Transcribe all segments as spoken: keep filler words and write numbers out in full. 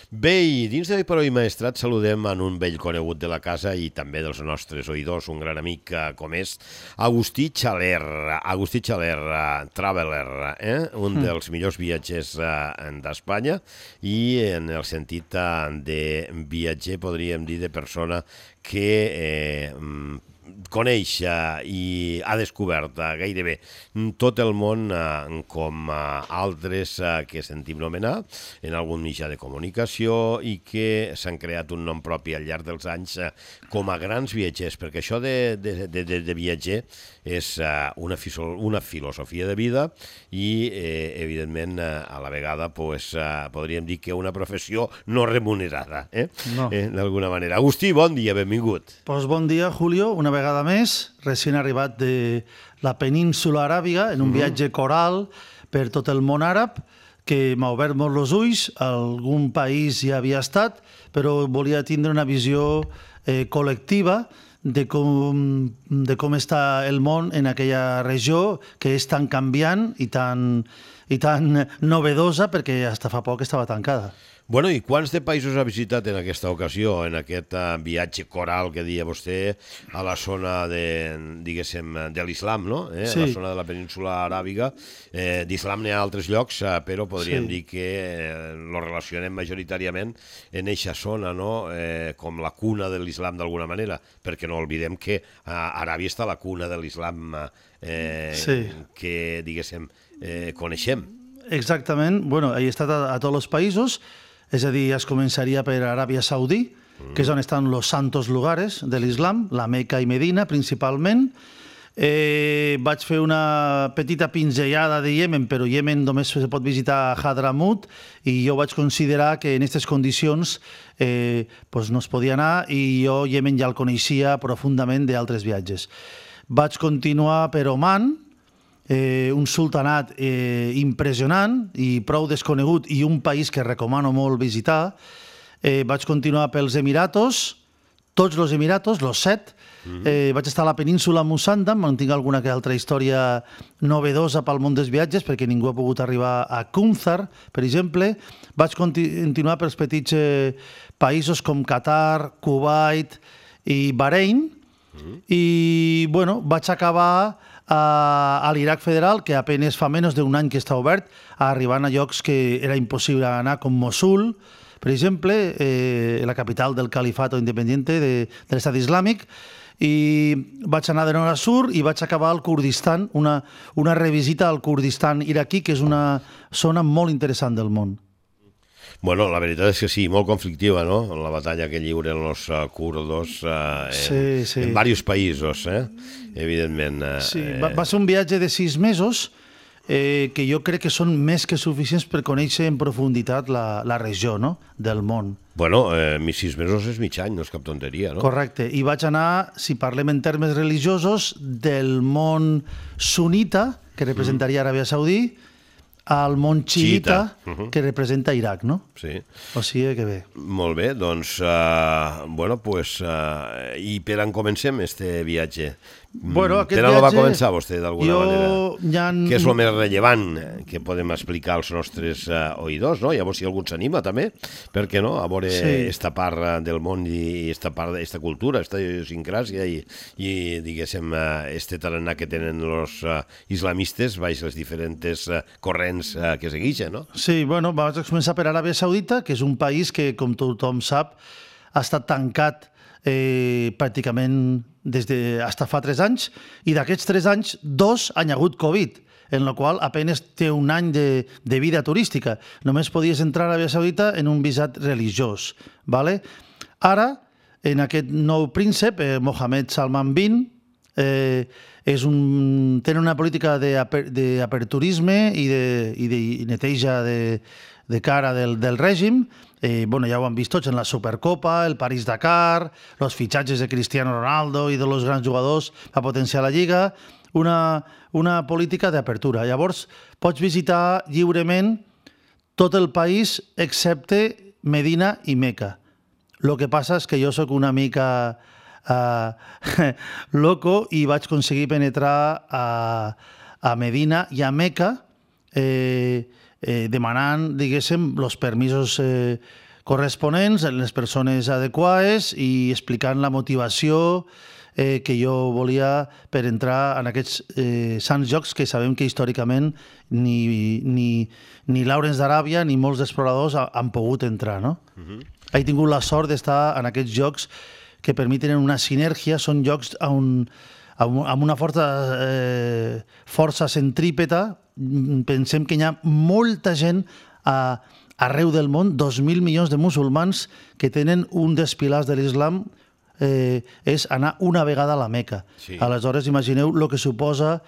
Bé, i dins de Paró i Maestrat saludem en un vell conegut de la casa i també dels nostres oïdors, un gran amic com és Agustí Xaler, Agustí Xaler, uh, Traveler, eh? un mm. dels millors viatgers uh, d'Espanya i en el sentit uh, de viatger, podríem dir, de persona que eh, coneix uh, i ha descobert uh, gairebé tot el món uh, com uh, altres uh, que sentim nomenar en algun mitjà de comunicació i que s'han creat un nom propi al llarg dels anys uh, com a grans viatgers, perquè això de, de, de, de, de viatger és uh, una, una filosofia de vida i, eh, evidentment, uh, a la vegada pues, uh, podríem dir que una professió no remunerada, eh? No. Eh, d'alguna manera. Agustí, bon dia, benvingut. Pues bon dia, Julio, una vegada més, recient arribat de la península aràbiga, en un uh-huh. viatge coral per tot el món àrab, que m'ha obert molt els ulls, algun país ja havia estat, però volia tindre una visió eh, col·lectiva de com, de com està el món en aquella regió que és tan canviant i tan, i tan novedosa perquè fins fa poc estava tancada. Bueno, i quants de països ha visitat en aquesta ocasió, en aquest uh, viatge coral que deia vostè a la zona de, diguéssim, de l'islam, no? Eh? Sí. A la zona de la península aràbiga. Eh, D'islam n'hi ha altres llocs, uh, però podríem sí. dir que eh, lo relacionem majoritàriament en eixa zona, no? Eh, com la cuna de l'islam d'alguna manera, perquè no oblidem que a Aràbia està la cuna de l'islam eh, sí. que, diguéssim, eh, coneixem. Exactament. Bueno, he estat a, a tots els països. És a dir, es començaria per Aràbia Saudí, que és on estan els santos lugares de l'islam, la Meca i Medina, principalment. Eh, vaig fer una petita pinzellada de Iemen, però Iemen només se pot visitar a Hadramut, i jo vaig considerar que en aquestes condicions eh, pues no es podia anar, i jo Iemen ja el coneixia profundament d'altres viatges. Vaig continuar per Oman, Eh, un sultanat eh, impressionant i prou desconegut i un país que recomano molt visitar. Eh, vaig continuar pels Emiratos, tots els Emiratos, els set. Eh, vaig estar a la península Musandam, on tinc alguna que altra història novedosa pel món dels viatges, perquè ningú ha pogut arribar a Kumthar, per exemple. Vaig continuar pels petits eh, països com Qatar, Kuwait i Bahrein. I, bueno, vaig acabar a l'Iraq federal, que apenas fa menys d'un any que està obert, arribant a llocs que era impossible anar, com Mosul, per exemple, eh, la capital del califato independiente de, de l'estat islàmic, i vaig anar de nord a sur i vaig acabar al Kurdistan, una, una revisita al Kurdistan iraquí, que és una zona molt interessant del món. Bueno, la veritat és que sí, molt conflictiva, no?, la batalla que lliuren els uh, kurdos uh, en, sí, sí. en diversos països, eh? Evidentment. Uh, sí, va, va ser un viatge de sis mesos eh, que jo crec que són més que suficients per conèixer en profunditat la, la regió, no?, del món. Bueno, eh, mis sis mesos és mig any, no és cap tonteria, no? Correcte, i vaig anar, si parlem en termes religiosos, del món sunita, que representaria Aràbia Saudí, al món xiita, uh-huh. que representa Iraq, no? Sí. O sigui que bé. Molt bé, doncs, uh, bueno, pues, uh, i per on comencem este viatge? Bueno, aquest per on viatge... va començar vostè, d'alguna jo... manera? Ja... Què és el més rellevant que podem explicar als nostres uh, oïdors, no? Llavors, si algú s'anima, també, per què no?, a veure sí. esta part del món i esta part d'esta cultura, esta idiosincràsia i, i diguéssim, uh, este tarannà que tenen els uh, islamistes, baix les diferents uh, corrents uh, que segueixen, no? Sí, bueno, vaig començar per Aràbia Saudita, que és un país que, com tothom sap, ha estat tancat eh, pràcticament des de hasta fa tres anys, i d'aquests tres anys, dos han hagut Covid, en la qual apenas té un any de, de vida turística. Només podies entrar a Aràbia Saudita en un visat religiós. ¿Vale? Ara, en aquest nou príncep, eh, Mohammed Salman bin, eh, és un, tenen una política d'aperturisme i de, i de neteja de, de cara del, del règim. Eh, bueno, ja ho han vist tots en la Supercopa, el París-Dakar, els fitxatges de Cristiano Ronaldo i de los grans jugadors a potenciar la Lliga, una, una política d'apertura. Llavors, pots visitar lliurement tot el país excepte Medina i Meca. El que passa és que jo sóc una mica uh, loco i vaig aconseguir penetrar a, a Medina i a Meca eh, eh, demanant, diguéssim, els permisos eh, corresponents, les persones adequades i explicant la motivació eh, que jo volia per entrar en aquests eh, sants jocs que sabem que històricament ni, ni, ni Lawrence d'Aràbia ni molts exploradors ha, han pogut entrar, no? Uh-huh. He tingut la sort d'estar en aquests jocs que permeten una sinergia, són jocs on, amb una forta eh, força centrípeta. Pensem que hi ha molta gent a, arreu del món, dos mil milions de musulmans que tenen un dels pilars de l'islam eh, és anar una vegada a la Meca. Sí. Aleshores, imagineu el que suposa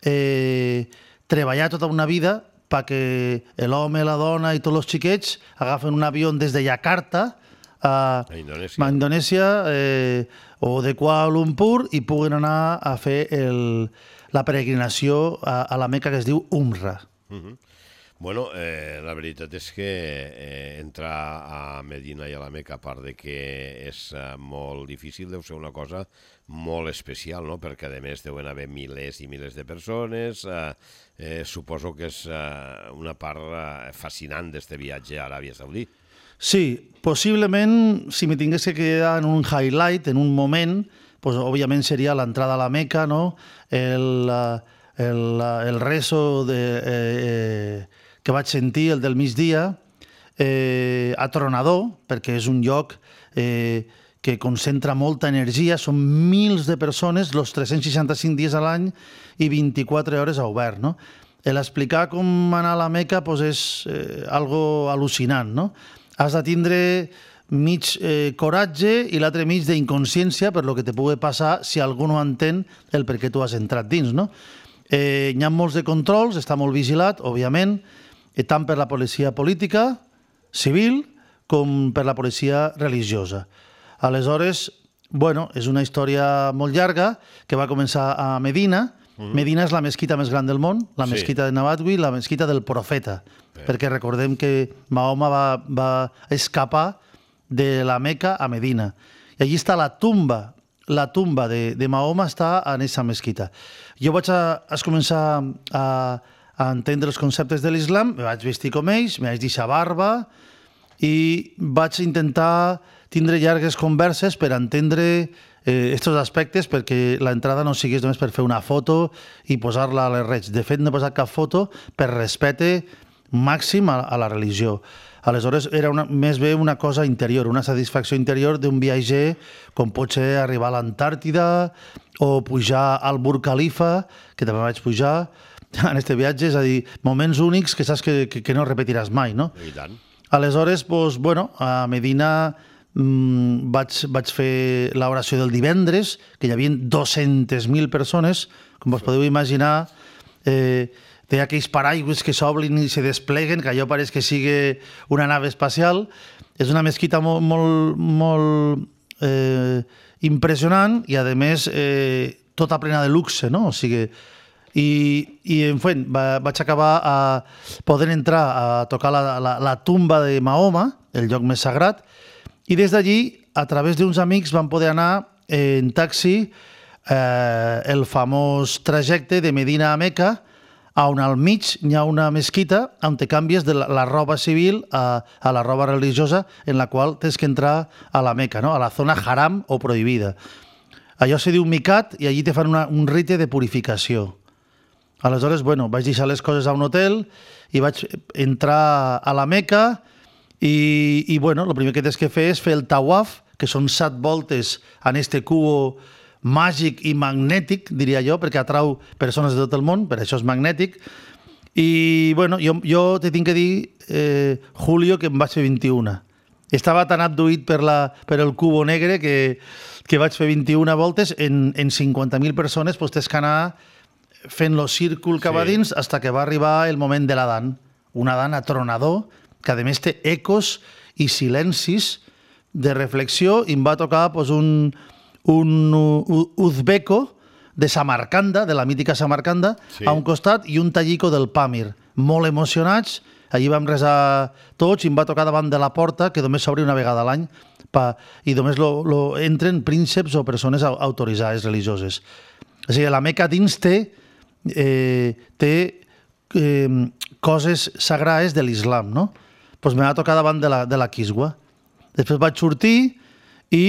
eh, treballar tota una vida perquè l'home, la dona i tots els xiquets agafen un avió des de Yakarta a, a Indonèsia, a Indonèsia eh, o de Kuala Lumpur i puguen anar a fer el, la peregrinació a, a la Meca, que es diu Umra. Uh-huh. Bueno, eh, la veritat és que eh, entrar a Medina i a la Meca, a part de que és eh, molt difícil, deu ser una cosa molt especial, no? Perquè a més deuen haver milers i milers de persones. Eh, eh, suposo que és eh, una part eh, fascinant d'este viatge a Aràbia Saudí. Sí, possiblement, si me tingués que quedar en un highlight, en un moment, pues, òbviament seria l'entrada a la Meca, no? el, el, el rezo de, eh, que vaig sentir, el del migdia, eh, atronador, perquè és un lloc eh, que concentra molta energia, són mils de persones, els tres-cents seixanta-cinc dies a l'any i vint-i-quatre hores a obert, no? L'explicar com anar a la Meca pues, és eh, algo al·lucinant, no? Has de tindre mig eh, coratge i l'altre mig d'inconsciència per lo que te pugui passar si algú no entén el per què tu has entrat dins, no? Eh, hi ha molts de controls, està molt vigilat, òbviament, eh, tant per la policia política, civil, com per la policia religiosa. Aleshores, bueno, és una història molt llarga que va començar a Medina. Uh-huh. Medina és la mesquita més gran del món, la sí. mesquita de Nabatwi, la mesquita del profeta, Bé. perquè recordem que Mahoma va, va escapar de la Meca a Medina. I allí està la tumba, la tumba de, de Mahoma està en aquesta mesquita. Jo vaig a, a començar a, a entendre els conceptes de l'islam, me vaig vestir com ells, me vaig deixar barba i vaig intentar tindre llargues converses per entendre aquests eh, aspectes, perquè l'entrada no sigués només per fer una foto i posar-la a les redes. De fet, no he posat cap foto per respecte màxim a, a la religió. Aleshores, era una, més bé una cosa interior, una satisfacció interior d'un viatger com pot ser arribar a l'Antàrtida o pujar al Burj Khalifa, que també vaig pujar en aquest viatge, és a dir, moments únics que saps que, que, que no repetiràs mai, no? I tant. Aleshores, doncs, bueno, a Medina mmm, vaig, vaig fer l'oració del divendres, que hi havia dos-centes mil persones, com vos podeu imaginar, eh, té aquells paraigües que s'obrin i se despleguen, que allò pareix que sigui una nave espacial. És una mesquita molt, molt, molt eh, impressionant i, a més, eh, tota plena de luxe, no? O sigui, i, i en fi, va, vaig acabar a poder entrar a tocar la, la, la tumba de Mahoma, el lloc més sagrat, i des d'allí, a través d'uns amics, vam poder anar eh, en taxi eh, el famós trajecte de Medina a Meca, on al mig hi ha una mesquita on te canvies de la, la roba civil a, a la roba religiosa, en la qual tens que entrar a la Meca, no? A la zona haram o prohibida. Allò se diu micat i allí te fan una, un rite de purificació. Aleshores, bueno, vaig deixar les coses a un hotel i vaig entrar a la Meca i, i bueno, el primer que tens que fer és fer el tawaf, que són set voltes en este cubo màgic i magnètic, diria jo, perquè atrau persones de tot el món, per això és magnètic. I, bueno, jo, jo te tinc que dir, eh, Julio, que em vaig fer vint-i-una. Estava tan abduït per, la, per el cubo negre que, que vaig fer vint-i-una voltes en, en cinquanta mil persones, doncs tens que anar fent el círcul cap a dins fins que va arribar el moment de l'Adhan. Un Adhan atronador, que a més té ecos i silencis de reflexió, i em va tocar doncs, un... un uzbeko de Samarcanda, de la mítica Samarcanda, sí. a un costat, i un tallico del Pamir, molt emocionats. Allí vam resar tots i em va tocar davant de la porta, que només s'obre una vegada a l'any, i només lo, lo entren prínceps o persones autoritzades religioses. O sigui, la Meca dins té, eh, té eh, coses sagrades de l'islam, no? doncs me va tocar davant de la, de la Kiswa. Després vaig sortir i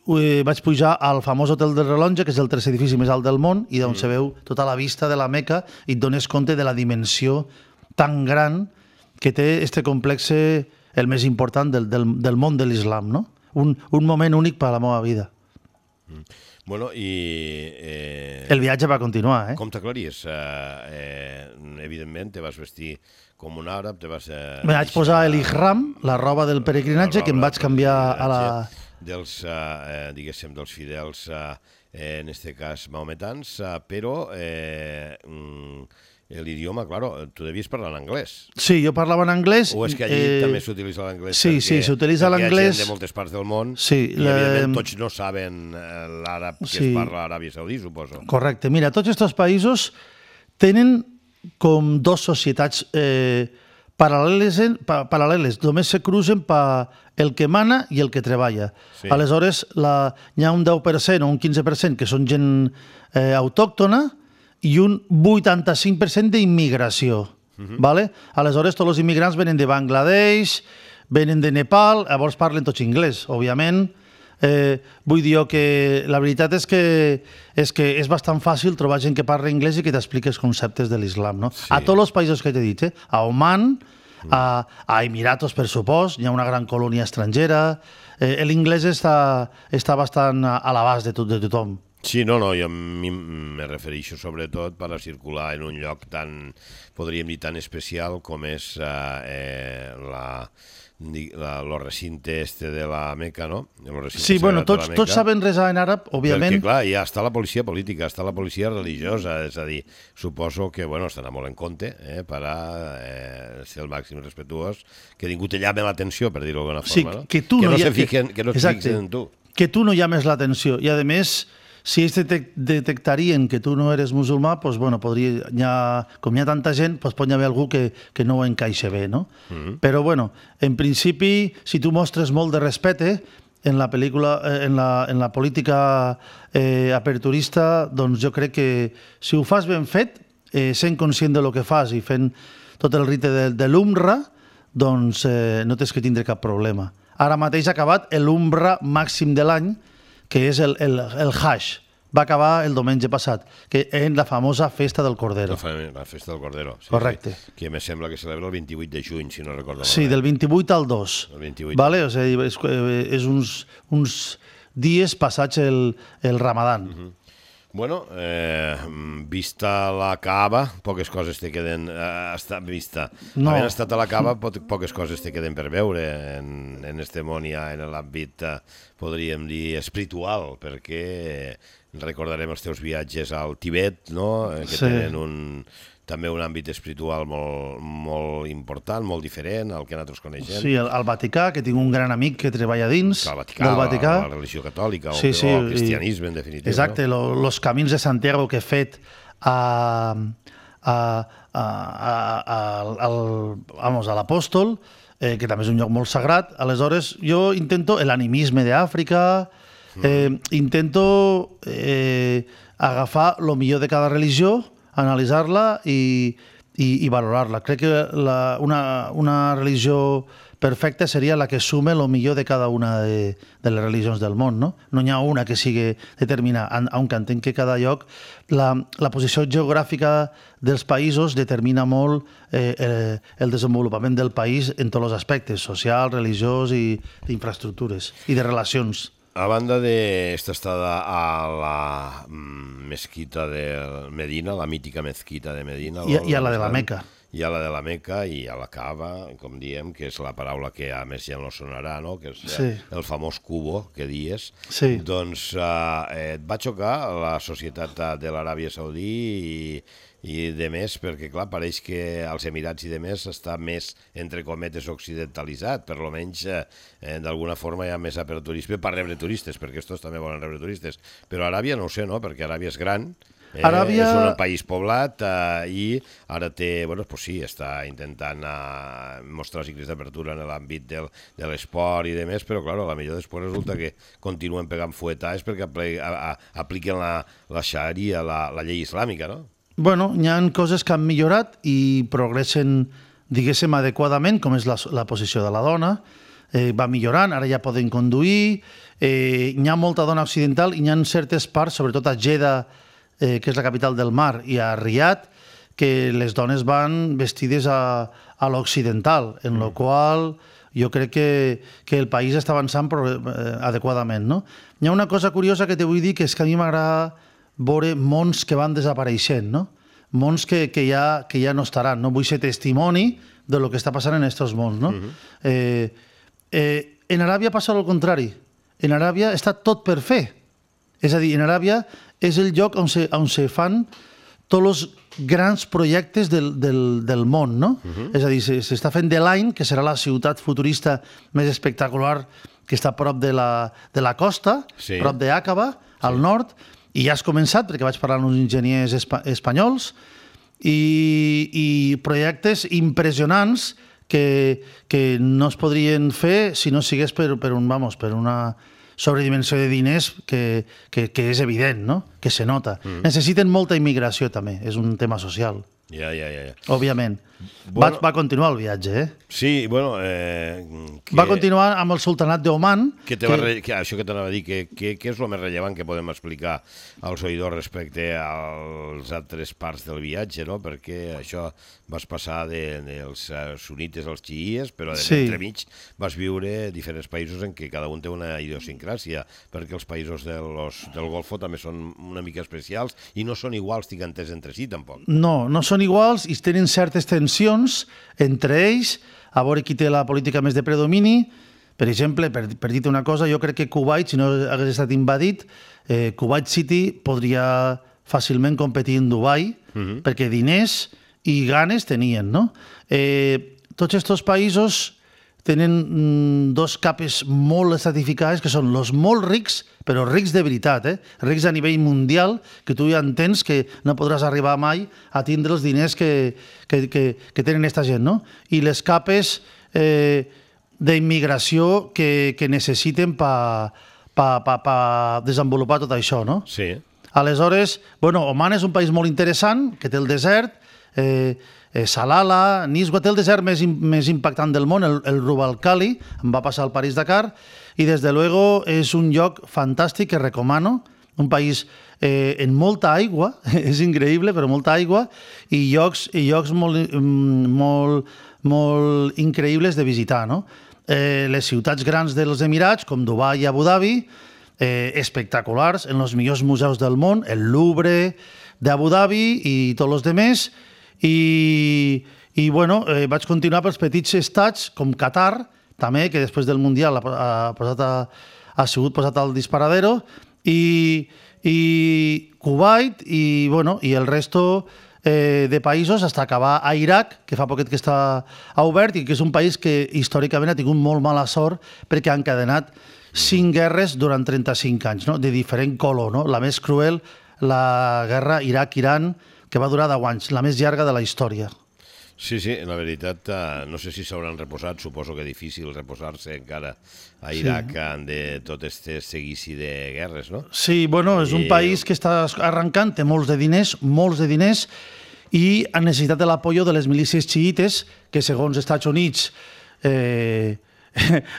eh, vaig pujar al famós Hotel del Rellotge, que és el tercer edifici més alt del món, i d'on mm. se veu tota la vista de la Meca i et dones compte de la dimensió tan gran que té este complex, el més important del, del, del món de l'islam, no? Un, un moment únic per a la meva vida. Mm. Bueno, i... Eh, el viatge va continuar, eh? Com t'aclaries? Eh, eh, evidentment, te vas vestir com un àrab, te vas... Eh, me vaig posar l'ihram, la roba del peregrinatge, que em vaig canviar a la... Dels, eh, diguéssim, dels fidels, eh, en este cas, maometans, eh, però eh, l'idioma, claro, tu devies parlar en anglès. Sí, jo parlava en anglès. O és que allí eh... també s'utilitza l'anglès? Sí, sí, s'utilitza l'anglès. Hi ha gent de moltes parts del món sí, i, la... evidentment, tots no saben l'àrab que sí. es parla a Aràbia Saudí, suposo. Correcte. Mira, tots aquests països tenen com dos societats eh, paral·leles, pa, paral·leles, només se cruzen per el que mana i el que treballa. Sí. Aleshores, la, hi ha un deu per cent o un quinze per cent que són gent eh, autòctona i un vuitanta-cinc per cent d'immigració. Uh-huh. Vale? Aleshores, tots els immigrants venen de Bangladesh, venen de Nepal, llavors parlen tots anglès, òbviament. Eh, vull dir que la veritat és que, és que és bastant fàcil trobar gent que parla anglès i que t'expliqui els conceptes de l'islam. No? Sí. A tots els països que t'he dit, eh? A Oman, mm. a, a Emiratos, per supost, hi ha una gran colònia estrangera. Eh, L'inglès està, està bastant a l'abast de, tot, de tothom. Sí, no, no, jo me refereixo sobretot per a circular en un lloc tan, podríem dir, tan especial com és eh, la... el recinte este de la Meca, no? Sí, bueno, tots, tots saben resar en àrab, òbviament. Perquè, clar, ja està la policia política, està la policia religiosa, és a dir, suposo que, bueno, estan molt en compte, eh, per a eh, ser el màxim respectuós, que ningú te llame l'atenció, per dir-ho d'alguna forma, no? Que, tu que no, no ha... se fiquen, que no es fixen en tu. Que tu no llames l'atenció, i a més... Si ells detectarien que tu no eres musulmà, doncs, bueno, podria, ha, com hi ha tanta gent, doncs pot haver algú que, que no ho encaixa bé, no? Mm-hmm. Però, bueno, en principi, si tu mostres molt de respecte en la pel·lícula, en la, en la política eh, aperturista, doncs jo crec que si ho fas ben fet, eh, sent conscient de lo que fas i fent tot el rite de, de l'Umra, doncs eh, no tens que tindre cap problema. Ara mateix ha acabat l'Umra màxim de l'any, que és el, el, el Hajj. Va acabar el diumenge passat, que és la famosa Festa del Cordero. La, la Festa del Cordero, sí. Correcte. Sí, que me sembla que celebra el vint-i-vuit de juny, si no recordo malament. Sí, del vint-i-vuit al dos. El vint-i-vuit. Vale? O sigui, és, és uns, uns dies passats el, el Ramadan. Uh-huh. Bueno, eh, vista la Kaaba, poques coses te queden... Eh, està vista. No. Havent estat a la Kaaba, po poques coses te queden per veure en, en este món ja en l'àmbit, eh, podríem dir, espiritual, perquè recordarem els teus viatges al Tibet, no? Eh, que sí. Tenen un, també un àmbit espiritual molt, molt important, molt diferent al que nosaltres coneixem. Sí, al, al Vaticà, que tinc un gran amic que treballa dins el Vaticà, del Vaticà. La, la religió catòlica, sí, o, sí, o el cristianisme, en definitiva. Exacte, no? Els camins de Santiago que he fet a, a, a, a, a, al, vamos, a l'Apòstol, eh, que també és un lloc molt sagrat. Aleshores, jo intento l'animisme d'Àfrica, eh, intento eh, agafar el millor de cada religió, analitzar-la i, i, i valorar-la. Crec que la, una, una religió perfecta seria la que sume el millor de cada una de, de les religions del món, no? No hi ha una que sigui determinada, aunque entenc que cada lloc, la, la posició geogràfica dels països determina molt eh, el, el desenvolupament del país en tots els aspectes, social, religiós i d'infraestructures i de relacions. A banda d'esta estada a la mesquita de Medina, la mítica mesquita de Medina... I, i a la de la Meca. I a la de la Meca i a la Kaaba, com diem, que és la paraula que a més ja no sonarà, no? Que és sí. el famós cubo, que dies. Sí. Doncs eh, et va xocar la societat de l'Aràbia Saudí i... i de més, perquè clar, pareix que als Emirats i de més està més, entre cometes, occidentalitzat, per lo menys eh, d'alguna forma hi ha més aperturisme per rebre turistes, perquè estos també volen rebre turistes, però Aràbia no ho sé, no?, perquè Aràbia és gran, eh, Aràbia... és un país poblat eh, i ara té, bueno, pues sí, està intentant eh, mostrar cicles d'apertura en l'àmbit del, de l'esport i de més, però clar, a la millor després resulta que continuen pegant fuetades perquè apl a, a, apliquen la, la xaria, la, la llei islàmica, no? Bueno, hi ha coses que han millorat i progressen diguéssim, adequadament, com és la, la posició de la dona, eh, va millorant, ara ja poden conduir, eh, hi ha molta dona occidental i hi ha certes parts, sobretot a Jeddah, eh, que és la capital del mar, i a Riyadh, que les dones van vestides a, a l'occidental, en la qual jo crec que, que el país està avançant però, eh, adequadament. No? Hi ha una cosa curiosa que te vull dir, que és que a mi m'agrada veure mons que van desapareixent, no? Mons que, que, ja, que ja no estaran. No? Vull ser testimoni de lo que està passant en aquests mons. No? Uh-huh. eh, eh, en Aràbia passa el contrari. En Aràbia està tot per fer. És a dir, en Aràbia és el lloc on se, on se fan tots els grans projectes del, del, del món, no? Uh-huh. És a dir, s'està fent The Line, que serà la ciutat futurista més espectacular que està a prop de la, de la costa, sí. prop d'Aqaba, al sí. nord, i ja has començat, perquè vaig parlar amb uns enginyers espa espanyols, i, i projectes impressionants que, que no es podrien fer si no sigués per, per, un, vamos, per una sobredimensió de diners que, que, que és evident, no? Que se nota. Mm. Necessiten molta immigració també, és un tema social. Ja, ja, ja. Òbviament. Bueno, va, va continuar el viatge, eh? Sí, bueno... Eh, que... Va continuar amb el sultanat d'Oman. Que te que... Va re... que, això que t'anava a dir, que, que, que és el més rellevant que podem explicar als oïdors respecte als altres parts del viatge, no? Perquè això vas passar dels de, de sunites als xiíes, però sí. entremig vas viure diferents països en què cada un té una idiosincràsia, perquè els països de los, del Golfo també són una mica especials i no són iguals, tinc entès, entre si, tampoc. No, no són iguals i tenen certes tensions entre ells, a veure qui té la política més de predomini. Per exemple, per, per dir-te una cosa, jo crec que Kuwait, si no hagués estat invadit, eh, Kuwait City podria fàcilment competir en Dubai, uh-huh. perquè diners i ganes tenien, no? Eh, tots aquests països tenen mm, dos capes molt estratificades, que són els molt rics, però rics de veritat, eh? rics a nivell mundial, que tu ja entens que no podràs arribar mai a tindre els diners que, que, que, que tenen aquesta gent, no? I les capes eh, d'immigració que, que necessiten per pa, pa, pa desenvolupar tot això, no? Sí. Aleshores, bueno, Oman és un país molt interessant, que té el desert, eh, Eh, Salala, Niswa, té el desert més, més impactant del món, el, el Rubalcali, em va passar al París-Dakar, i des de luego és un lloc fantàstic que recomano, un país eh, en molta aigua, és increïble, però molta aigua, i llocs, i llocs molt, molt, molt increïbles de visitar, no? Eh, les ciutats grans dels Emirats, com Dubai i Abu Dhabi, eh, espectaculars, en els millors museus del món, el Louvre d'Abu Dhabi i tots els altres. I, i bueno, eh, vaig continuar pels petits estats, com Qatar, també, que després del Mundial ha, ha, posat a, ha sigut posat al disparadero, i, i Kuwait, i, bueno, i el resto eh, de països, fins a acabar a Iraq, que fa poquet que està obert, i que és un país que històricament ha tingut molt mala sort, perquè ha encadenat cinc guerres durant trenta-cinc anys, no? De diferent color, no? La més cruel, la guerra Iraq-Iran, que va durar deu anys, la més llarga de la història. Sí, sí, la veritat, no sé si s'hauran reposat, suposo que difícil reposar-se encara a Iraq sí. de tot este seguici de guerres, no? Sí, bueno, és un I... país que està arrencant, té molts de diners, molts de diners, i ha necessitat l'apoyo de les milícies xiites, que segons els Estats Units eh,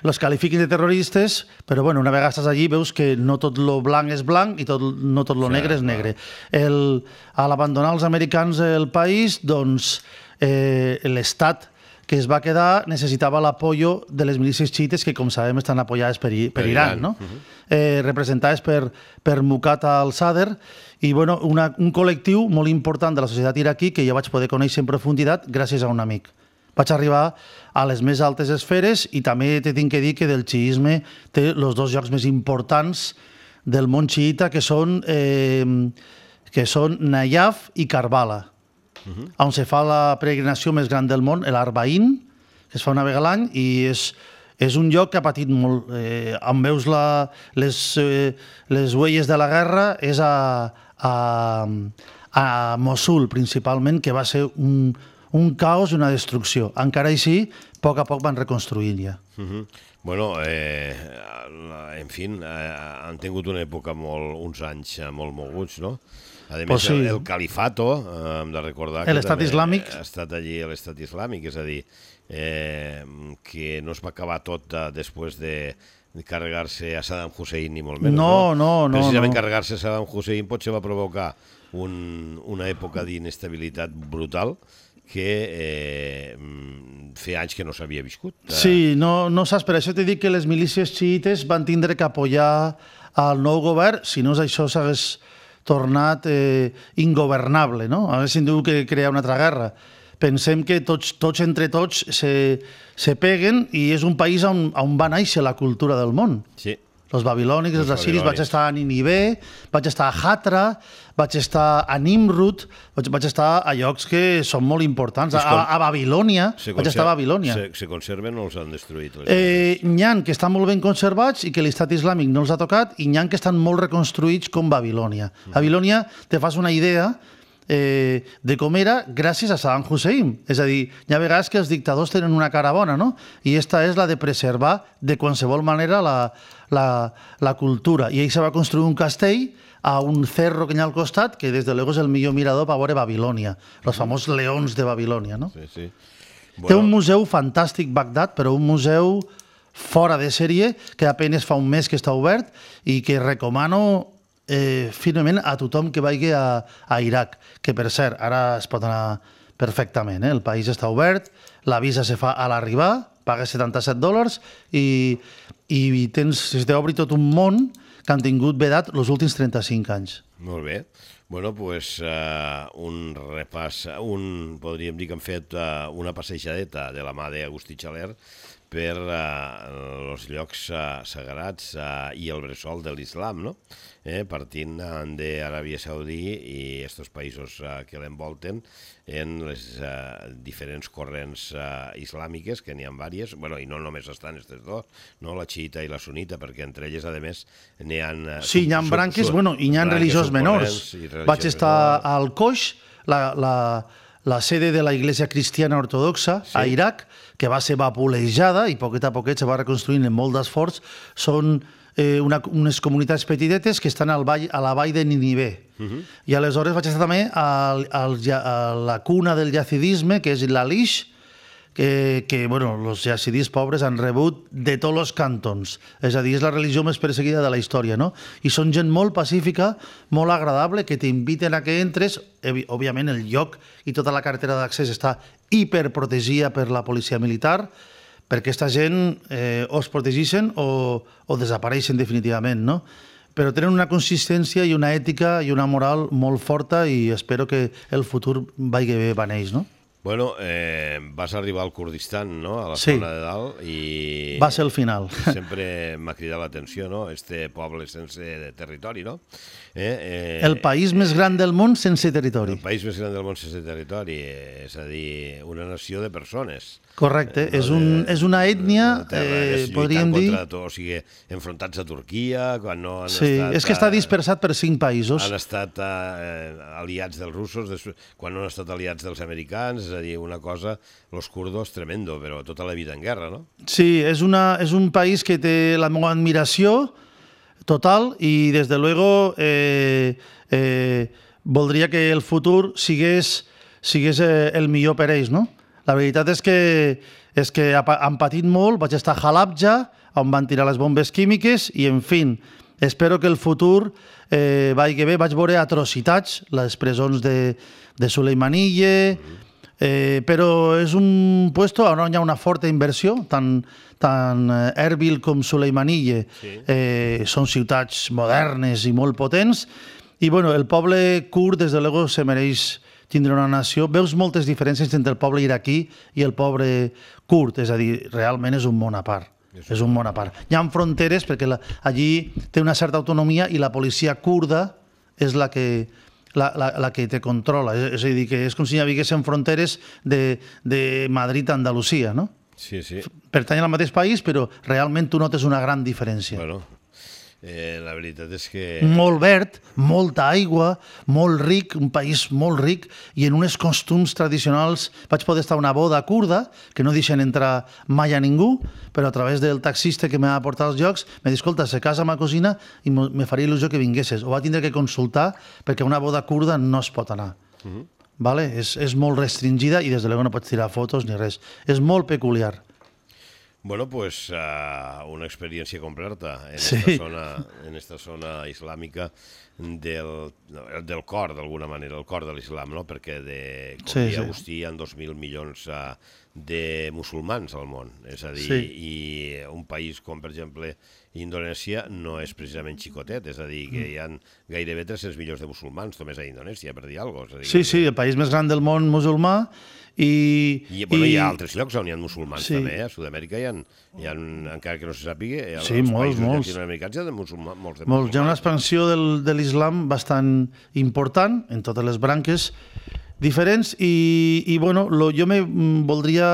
los califiquin de terroristes, però bueno, una vegada estàs allí veus que no tot lo blanc és blanc i tot, no tot lo sí, negre és negre. El, a l'abandonar els americans el país, doncs eh, l'Estat que es va quedar necessitava l'apoyo de les milícies xiites que, com sabem, estan apoyades per, per, per Iran, no? Uh-huh. eh, representades per, per Muqtada al-Sadr, i bueno, una, un col·lectiu molt important de la societat iraquí que jo vaig poder conèixer en profunditat gràcies a un amic. Vaig arribar a les més altes esferes i també te tinc que dir que del xiisme té els dos llocs més importants del món xiita, que són, eh, que són Najaf i Karbala, uh-huh. on se fa la peregrinació més gran del món, l'Arbaïn, que es fa una vegada a l'any, i és, és un lloc que ha patit molt. Eh, on veus la, les, eh, les huelles de la guerra és a, a, a Mosul, principalment, que va ser un... un caos i una destrucció. Encara així, a poc a poc van reconstruint ja. Uh-huh. Bueno, eh, en fi, eh, han tingut una època, molt, uns anys molt moguts, no? A més, Pues sí. el, el califato, eh, hem de recordar que L'Estat també Islàmic. ha estat allí l'Estat Islàmic, és a dir, eh, que no es va acabar tot eh, després de, de carregar-se a Saddam Hussein, ni molt menys. No, no, no. Precisament no. carregar-se a Saddam Hussein potser va provocar un, una època d'inestabilitat brutal que eh, feia anys que no s'havia viscut. Sí, no, no saps, per això t'he dit que les milícies xiites van tindre que apoyar al nou govern, si no això s'hagués tornat eh, ingovernable, no? Haguessin dut que crear una altra guerra. Pensem que tots, tots entre tots se, se peguen i és un país on, on va néixer la cultura del món. Sí. Els babilònics, els Els assiris, vaig babilònics. estar a Ninive, vaig estar a Hatra, vaig estar a Nimrud, vaig, vaig estar a llocs que són molt importants. A, a Babilònia, Se vaig estar a Babilònia. Se, se conserven o els han destruït? Eh, n'hi ha que estan molt ben conservats i que l'Estat Islàmic no els ha tocat, i n'hi ha que estan molt reconstruïts com Babilònia. Mm. Babilònia, te fas una idea eh, de com era gràcies a Saddam Hussein. És a dir, hi ha vegades que els dictadors tenen una cara bona, no? I esta és la de preservar de qualsevol manera la, la, la cultura. I ell se va construir un castell a un cerro que hi ha al costat, que des de luego és el millor mirador per veure Babilònia, els famosos leons de Babilònia, no? Sí, sí. Bueno. Té un museu fantàstic, Bagdad, però un museu fora de sèrie, que apenas fa un mes que està obert i que recomano eh, finalment a tothom que vagi a, a Iraq, que per cert, ara es pot anar perfectament, eh? El país està obert, la visa se fa a l'arribar, pagues setanta-set dòlars i, i tens, es t'obri tot un món que han tingut vedat els últims trenta-cinc anys. Molt bé. Bueno, pues, uh, un repàs, un, podríem dir que hem fet uh, una passejadeta de la mà d'Agustí Xaler per uh, els llocs uh, sagrats uh, i el bressol de l'islam, no? Eh, partint uh, d'Aràbia Saudí i aquests països uh, que l'envolten en les uh, diferents corrents uh, islàmiques, que n'hi ha diverses, bueno, i no només estan aquestes dos, no? La xiita i la sunita, perquè entre elles, a més, n'hi ha... Uh, sí, hi ha branques, bueno, i hi ha religions menors. Vaig estar al Koix, la, la, la sede de la Iglesia Cristiana Ortodoxa, sí, a Iraq, que va ser vapulejada i poquet a poquet se va reconstruint amb molt d'esforç. Són eh, una, unes comunitats petitetes que estan al vall, a la vall de Ninive. Uh -huh. I aleshores vaig estar també al, al, a la cuna del yazidisme, que és l'Alish, que, que bueno, els yazidis pobres han rebut de tots els cantons. És a dir, és la religió més perseguida de la història, no? I són gent molt pacífica, molt agradable, que t'inviten a que entres. Òbviament, el lloc i tota la carretera d'accés està hiperprotegida per la policia militar, perquè aquesta gent eh, o es protegeixen o, o desapareixen definitivament, no? Però tenen una consistència i una ètica i una moral molt forta i espero que el futur vagi bé per ells, no? Bueno, eh, vas arribar al Kurdistan, no?, a la sí, zona de dalt, i... va ser el final. Sempre m'ha cridat l'atenció, no?, este poble sense territori, no? Eh, eh, el país més gran del món sense territori. El país més gran del món sense territori, és a dir, una nació de persones. Correcte, no, és, un, de, és una ètnia, terra, eh, podríem dir... Tot, o sigui, enfrontats a Turquia, quan no han sí, estat... és que està dispersat per cinc països. Han estat eh, aliats dels russos, quan no han estat aliats dels americans, és a dir, una cosa, los kurdos, tremendo, però tota la vida en guerra, no? Sí, és, una, és un país que té la meva admiració total i, des de luego, eh, eh, voldria que el futur sigués, sigués eh, el millor per ells, no? La veritat és que, és que han patit molt. Vaig estar a Halabja, on van tirar les bombes químiques, i, en fi, espero que el futur eh, vagi bé. Vaig veure atrocitats, les presons de, de Suleimaniyye, eh, però és un puesto on hi ha una forta inversió, tant, tant Erbil com Suleimaniyye sí. eh, són ciutats modernes i molt potents, i bueno, el poble kurd, des de luego, se mereix tindre una nació. Veus moltes diferències entre el poble iraquí i el poble kurd, és a dir, realment és un món a part. És un món a part. Hi ha fronteres perquè la, allí té una certa autonomia i la policia kurda és la que, la, la, la que te controla. És, és a dir, que és com si hi haguessin fronteres de, de Madrid a Andalusia, no? Sí, sí. Pertanyen al mateix país, però realment tu notes una gran diferència. Bueno, Eh, la veritat és que... Molt verd, molta aigua, molt ric, un país molt ric, i en uns costums tradicionals. Vaig poder estar a una boda kurda, que no deixen entrar mai a ningú, però a través del taxista que m'ha portat als llocs, m'ha dit, escolta, se casa a ma cosina i me faria il·lusió que vinguessis. Ho va tindre que consultar perquè a una boda kurda no es pot anar. Uh -huh. Vale? És, és molt restringida i des de luego no pots tirar fotos ni res. És molt peculiar. Bueno, pues uh, una experiència completa en sí. esta zona, en esta zona islàmica del, del cor, d'alguna manera, el cor de l'islam, no? Perquè, de, com sí, deia sí. Agustí, hi ha dos mil milions uh, de musulmans al món. És a dir, sí. i un país com, per exemple, Indonèsia no és precisament xicotet, és a dir, que hi ha gairebé tres-cents milions de musulmans només a Indonèsia, per dir alguna cosa. Sí, sí, el país més gran del món musulmà. I, I, bueno, i... hi ha altres llocs on hi ha musulmans sí. també, eh? A Sud-amèrica hi ha, hi ha, encara que no se sàpiga, hi ha sí, els molts, països molts. llatinoamericans hi ha de musulmans, molts de molts. musulmans. Hi ha una expansió del, de l'islam bastant important en totes les branques diferents i, i bueno, lo, jo me voldria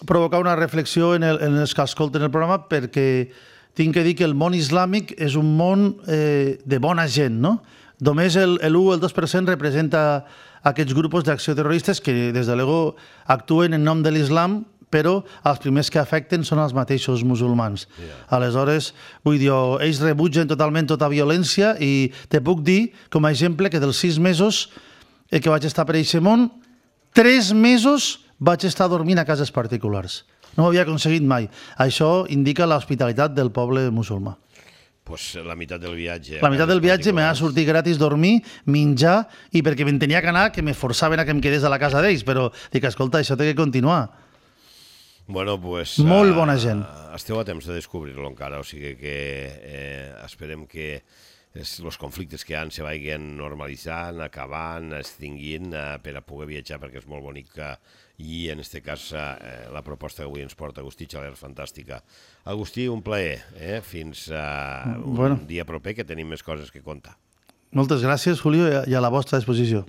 provocar una reflexió en, el, en els que escolten el programa perquè tinc que dir que el món islàmic és un món eh, de bona gent, no? Només el, el u o el dos per cent representa aquests grups d'acció terroristes que, des de luego, actuen en nom de l'islam, però els primers que afecten són els mateixos musulmans. Yeah. Aleshores, vull dir, ells rebutgen totalment tota violència i te puc dir, com a exemple, que dels sis mesos que vaig estar per aquest món, tres mesos vaig estar dormint a cases particulars. No ho havia aconseguit mai. Això indica l'hospitalitat del poble musulmà. Pues la meitat del viatge. La meitat del viatge m'ha sortit gratis dormir, menjar, i perquè me'n tenia que anar, que me forçaven a que em quedés a la casa d'ells, però dic, escolta, això té que continuar. Bueno, pues... Molt bona gent. Uh, esteu a temps de descobrir-lo encara, o sigui que eh, esperem que els conflictes que hi ha se vagin normalitzant, acabant, extinguint, uh, per a poder viatjar, perquè és molt bonic que i en aquest cas eh, la proposta que avui ens porta Agustí Xaler, fantàstica. Agustí, un plaer, eh? Fins a un bueno. dia proper que tenim més coses que contar. Moltes gràcies, Julio, i a la vostra disposició.